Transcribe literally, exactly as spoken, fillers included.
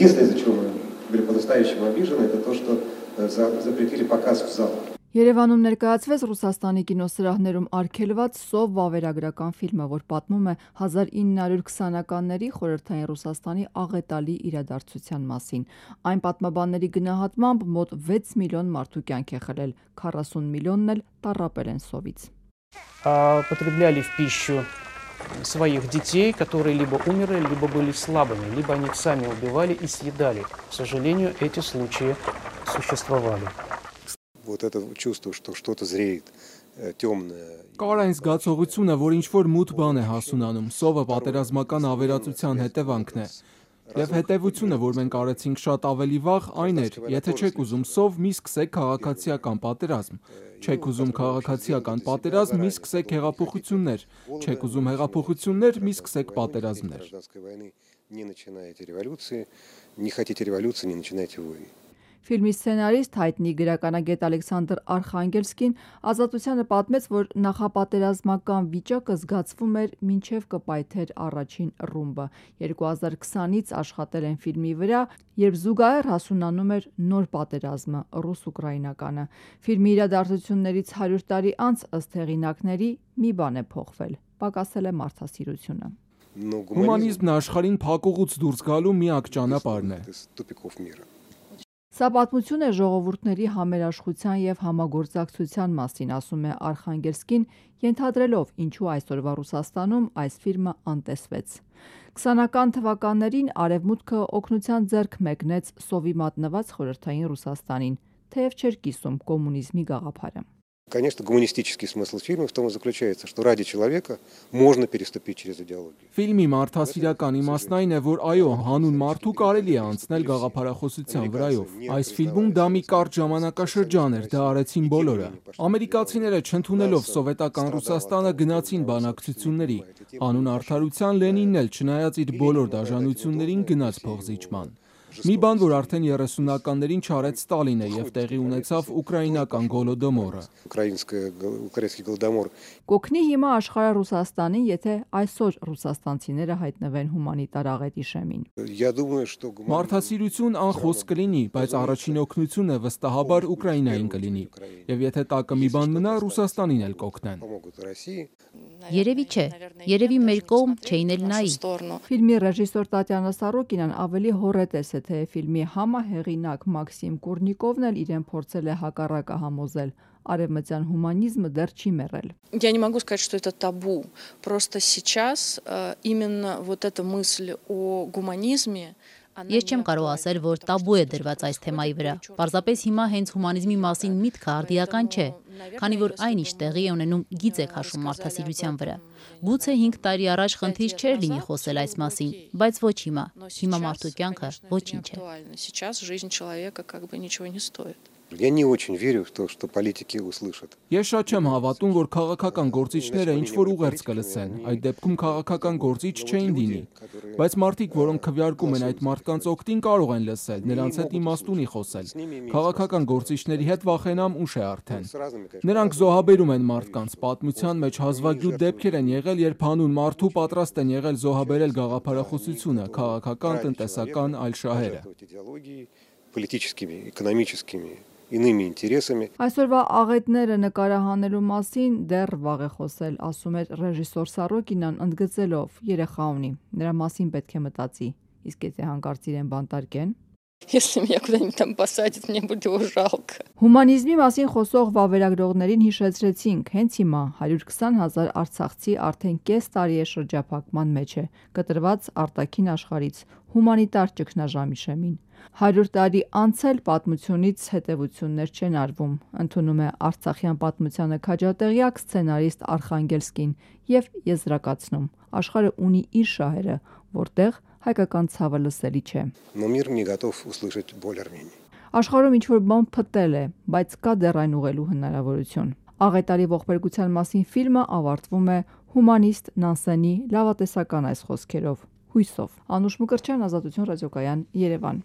Единственное, из-за чего мы были по-настоящему обижены, это то, что запретили показ в залах. Երևանում ներկայացվեց Ռուսաստանի կինոսրահներում արգելված «Սով» վավերագրական ֆիլմը, որ պատմում է հազար ինը հարյուր քսանականների խորհրդային Ռուսաստանի աղետալի իրադարձության մասին։ Այն պատմաբանների գնահատմամբ մոտ վեց միլիոն մարդու կյանք է խլել, քառասուն միլիոնն էլ տառապել են սովից։ Потребляли в пищу своих детей, которые либо умерли, либо были слабыми, либо они их сами убивали и съедали. К сожалению, эти случаи существовали. Вот это чувство, что что-то зреет темное. Կար այն զգացողությունը, որ ինչ-որ մութ բան է հասունանում, սովը պատերազմական ավերածության հետևանքն է։ Եվ հետևությունը, որ մենք արեցինք շատ ավելի վաղ, այն էր, եթե չեք ուզում սով, մի սկսեք քաղաքացիական պատերազմ։ Չեք ուզում քաղաքացիական պատերազմ, մի սկսեք հեղափոխություններ։ Չեք ուզում հեղափոխություններ, մի սկսեք պատերազմներ։ Ֆիլմի սցենարիստ հայտնի գրականագետ Ալեքսանդր Արխանգելսկին Ազատությանը պատմեց, որ նախապատերազմական վիճակը զգացվում էր մինչև կպայթեր առաջին ռումբը։ երկու հազար քսանից աշխատել են ֆիլմի վրա, երբ զուգահեռ հասունանում էր նոր պատերազմը՝ ռուս-ուկրաինականը։ Ֆիլմի իրադարձություններից հարյուր տարի անց, ըստ հեղինակների, մի բան է փոխվել՝ պակասել է մարդասիրությունը։ Հումանիզմն աշխարհին փակուղուց դուրս գալու միակ ճանապարհն է։ Սա պատմություն է ժողովուրդների համերաշխության և համագործակցության մասին, ասում է Արխանգելսկին, ենթադրելով ինչու այսօրվա Ռուսաստանում այս ֆիլմը անտեսվեց։ Քսանական թվականներին Արևմուտքը օգնության ձեռք մեկնեց սովի մատնված խորհրդային Ռուսաստանին, թեև չէր կիսում կոմունիզմի գաղափարը։ Конечно, гуманистический смысл фильма в том и заключается, что ради человека можно переступить через идеологию. Ֆիլմի մարդասիրական իմաստն այն է, որ այո, հանուն մարդու կարելի է անցնել գաղափարախոսության վրայով։ Այս ֆիլմում դա մի կարճ ժամանակաշրջան էր, դա արեցին բոլորը։ Ամերիկացիները չընդունելով սովետական Ռուսաստանը գնացին բանակցությունների։ Անուն արդարության Լենինն էլ չնայած իր բոլոր դաժանություններին գնաց փոխզիջման։ Մի բան, որ արդեն երեսունականներին չարեց Ստալինը և տեղի ունեցավ ուկրաինական գոլոդոմորը։ Կօգնի հիմա աշխարհը Ռուսաստանին, եթե այսօր ռուսաստանցիները հայտնվեն հումանիտար աղետի շեմին։ Մարդասիրություն անխոս կլինի, բայց առաջին օգնությունը վստահաբար Ուկրաինային կլինի։ Եվ եթե տակը մի բան մնա, Ռուսաստանին էլ կօգնեն։ Երևի չէ, երևի մեր կողմ չէին էլ նայի։ Ֆիլմի ռեժիսոր Տատյանա Սարոկինան ավելի հոռետես է, թե ֆիլմի համահեղինակ Մաքսիմ Կուրնիկովն էլ իրեն փորձել է հակառակը համոզել։ Արևմտյան հումանիզմը դեռ չի մեռել։ Я не могу сказать, что это табу. Просто сейчас именно вот эта мысль о гуманизме. Ես չեմ կարող ասել, որ տաբու է դրված այս թեմայի վրա։ Պարզապես հիմա հենց հումանիզմի մասին միտքը արդիական չէ, քանի որ այն ինչ տեղի է ունենում գիծ է քաշում մարդասիրության վրա։ Գուցե հինգ տարի առաջ խնդիր չէր լինի խոսել այս մասին, բայց ոչ հիմա։ Հիմա մարդու կյանքը ոչինչ է։ Сейчас жизнь человека как бы ничего не стоит. Я не очень верю в то, что политики услышат. Ես շատ չեմ հավատում, որ քաղաքական գործիչները ինչ-որ ուղերձ կլսեն, այդ դեպքում քաղաքական գործիչ չէին դինի, բայց մարդիկ, որոնք քվեարկում են այդ մարդկանց օգտին, կարող են լսել, նրանց հետ իմաստունի խոսել։ Քաղաքական գործիչների հետ վախենամ ուշ է արդեն։ Նրանք զոհաբերում են մարդկանց, պատմության մեջ հազվագյուտ դեպքեր են եղել, երբ հանուն մարդու պատրաստ են եղել զոհաբերել գաղափարախոսությունը, քաղաքական, տնտեսական, այլ շահերը։ Политическими, экономическими иными интересами. Այսօրվա աղետները նկարահանելու մասին դեռ վաղ է խոսել, ասում էր ռեժիսոր Սարոկինան, ընդգծելով՝ երեխա ունի, նրա մասին պետք է մտածի, իսկ եթե հանկարծ իրեն բանտարկեն։ Если меня куда-нибудь там посадят, мне будет его жалко. Հումանիզմի մասին խոսող վավերագրողներին հիշեցրեցինք, հենց հիմա հարյուր քսան հազար արցախցի արդեն կես տարի է շրջափակման մեջ է, կտրված արտաքին աշխարհից, հումանիտար ճգնաժամի շեմին։ հարյուր տարի անց էլ պատմությունից հետևություններ չեն արվում, ընդունում է արցախյան պատմությանը քաջատեղյակ սցենարիստ Արխանգելսկին և եզրակացնում. աշխարհը ունի իր շահերը, որտեղ հայկական ցավը լսելի չէ։ Աշխարհում ինչ-որ բան փտել է, բայց կա դեռ այն ուղղելու հնարավորություն։ Աղետալի ողբերգության մասին ֆիլմը ավարտվում է հումանիստ Նանսենի լավատեսական այս խոսքերով՝ հույսով։ Անուշ Մկրտչյան, Ազատություն ռադիոկայան, Երևան։